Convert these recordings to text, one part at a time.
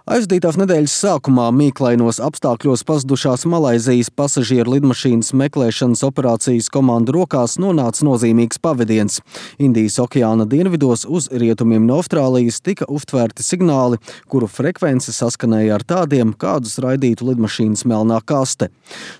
Aizdītās nedēļas sākumā mīklainos apstākļos pazudušās Malaizijas pasažieru lidmašīnas meklēšanas operācijas komandu rokās nonāca nozīmīgs pavadiens. Indijas okeāna dienvidos uz rietumiem no Austrālijas tika uztvērti signāli, kuru frekvence saskanēja ar tādiem, kādus raidītu lidmašīnas melnā kaste.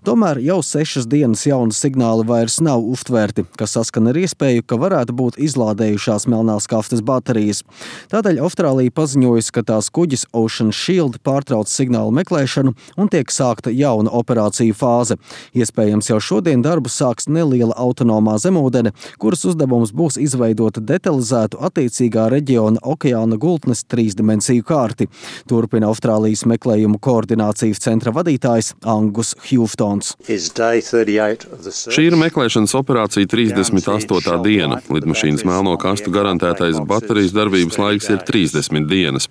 Tomēr jau 6 dienas jauni signāli vairs nav uztvērti, kas saskan ar iespēju, ka varētu būt izlādējušās melnās kastes baterijas. Tādēļ Austrālija paziņojusi, ka tās kuģis Ocean Shield pārtrauc signālu meklēšanu un tiek sākta jauna operāciju fāze. Iespējams, jau šodien darbu sāks neliela autonomā zemūdene, kuras uzdevums būs izveidot detalizētu attiecīgā reģiona okeāna gultnes 3-dimensiju kārti. Turpina Austrālijas meklējumu koordinācijas centra vadītājs Angus Houstons. Šī ir meklēšanas operācija 38. diena. Lidmašīnas melno kastu garantētais baterijas darbības laiks ir 30 dienas.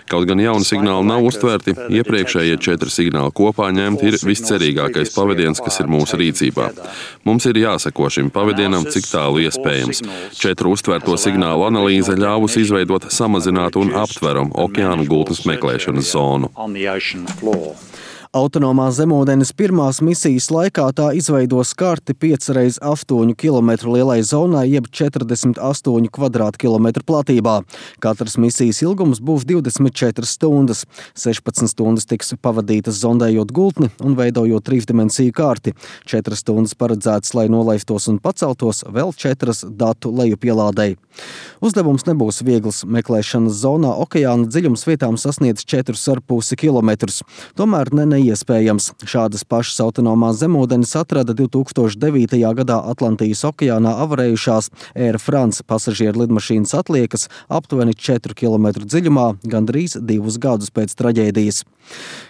Kaut gan jauni signāli nav uztvērti, iepriekšējie 4 signāli kopā ņemti ir viscerīgākais pavadiens, kas ir mūsu rīcībā. Mums ir jāseko šim pavadienam, cik tālu iespējams. 4 uztvērto signālu analīze ļāvusi izveidot samazinātu un aptveramu okeāna gultnes meklēšanas zonu. Autonomā zemūdenes pirmās misijas laikā tā izveidos karti 5x8 km lielai zonai, jeb 48 kvadrātkilometru platībā. Katras misijas ilgums būs 24 stundas. 16 stundas tiks pavadītas zondējot gultni un veidojot 3-dimensiju karti. 4 stundas paredzētas, lai nolaistos un paceltos, vēl 4 datu lejupielādei. Uzdevums nebūs viegls. Meklēšanas zonā okeāna dziļums vietām sasniedz 4,5 km. Tomēr neiespējams. Šādas pašas autonomās zemūdenes atrada 2009. gadā Atlantijas okeānā avarējušās Air France pasažieru lidmašīnas atliekas aptuveni 4 km dziļumā, gandrīz 2 gadus pēc traģēdijas.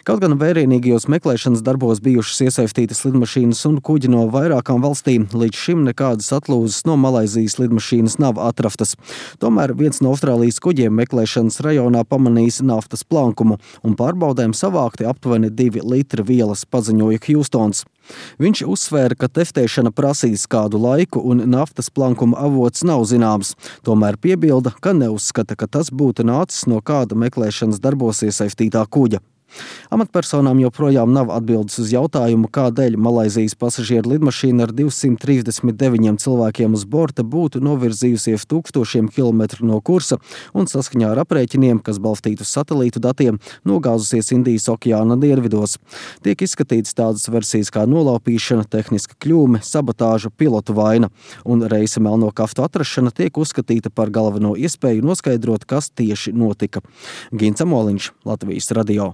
Kaut gan vērienīgajos meklēšanas darbos bijušas iesaistītas lidmašīnas un kuģi no vairākām valstīm, līdz šim nekādas atlūzas no Malaizijas lidmašīnas nav atrastas. Tomēr viens no Austrālijas kuģiem meklēšanas rajonā pamanījis naftas plankumu un pārbaudēm savākti aptuveni 2 litri vielas, paziņoja Houstons. Viņš uzsvēra, ka testēšana prasīs kādu laiku un naftas plankuma avots nav zināms. Tomēr piebilda, ka neuzskata, ka tas būtu nācis no kāda meklēšanas darbos iesaistītā kuģa. Amatpersonām joprojām nav atbildes uz jautājumu, kādēļ Malaizijas pasažieru lidmašīna ar 239 cilvēkiem uz borta būtu novirzījusies 1000 kilometru no kursa un saskaņā ar aprēķiniem, kas balstīti uz satelītu datiem, nogāzusies Indijas okeāna dienvidos. Tiek izskatītas tādas versijas kā nolaupīšana, tehniska kļūme, sabotāža, pilotu vaina, un reisa melno kastu atrašana tiek uzskatīta par galveno iespēju noskaidrot, kas tieši notika. Gins Amoliņš, Latvijas radio.